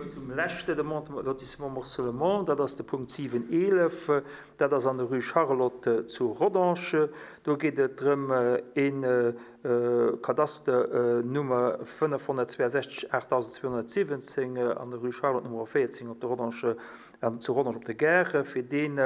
mer zum leschte Demande de lotissement morcellement, dat ass de Punkt 7, 11. Dat ass an der Rue Charlotte zu Rodange. Do geet et drëm, ee Kadaster Nummer 562 8217 an der Rue Charlotte Nummer 14 op der Rodange, zu Rodange op der Gare, fir deen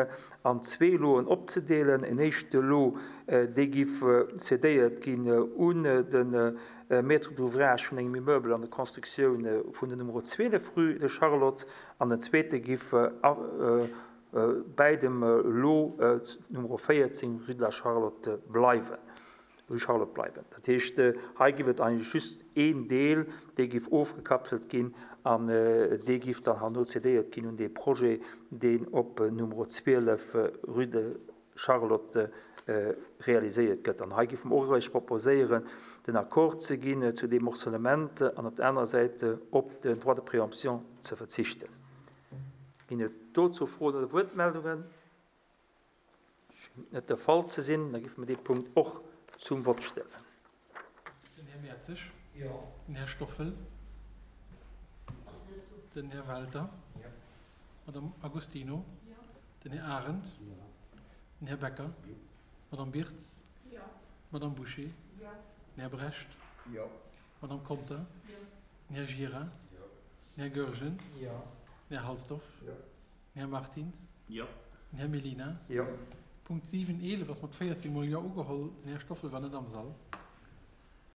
an zwee Loen opzedeelen. En éischte Lot, dee giff cédéiert ginn un de Maître d'ouvrage vun engem Immeuble an der Constructioun vun der Nummer 12 Rue de Charlotte an den zweete giff bäi dem Lot Nummer 14 Rue de la Charlotte bleiwen. Rue Charlotte bleiwen. Dat heescht, hei giff et eigentlech just een Deel, dee giff ofgekapselt ginn an dee giff dann herno cédéiert ginn un dee Projet, deen op Nummer 12 Rue de Charlotte realiséiert gëtt. An hei géife mer och eréischt proposéieren, den Accord ze ginn zu deem Morcellement an op der anerer Säit op den Droit de préemption ze verzichten. Ginn et dozou Froen oder Wuertmeldungen? Schéngt net de Fall ze sinn. Da géife mer dee Punkt och zum Vott stellen. Den Här Mertzig. Jo. Den Här Stoffel. Den Här Welter. Jo. D'Madame Agostino. Jo. Den Här Arendt. Jo. Den Här Becker. Jo. D'Madame Birtz. Jo. D'Madame Bouché. Jo. Den Här Brecht. Jo. D'Madame Conter. Jo. Den Här Gira. Jo. Den Här Goergen. Jo. Den Här Halsdorf. Jo. Den Här Martins. Jo. Den Här Mellina. Jo. Punkt 7, 11 ass mat 14 mol Jo ugeholl. Den Här Stoffel war net am Sall.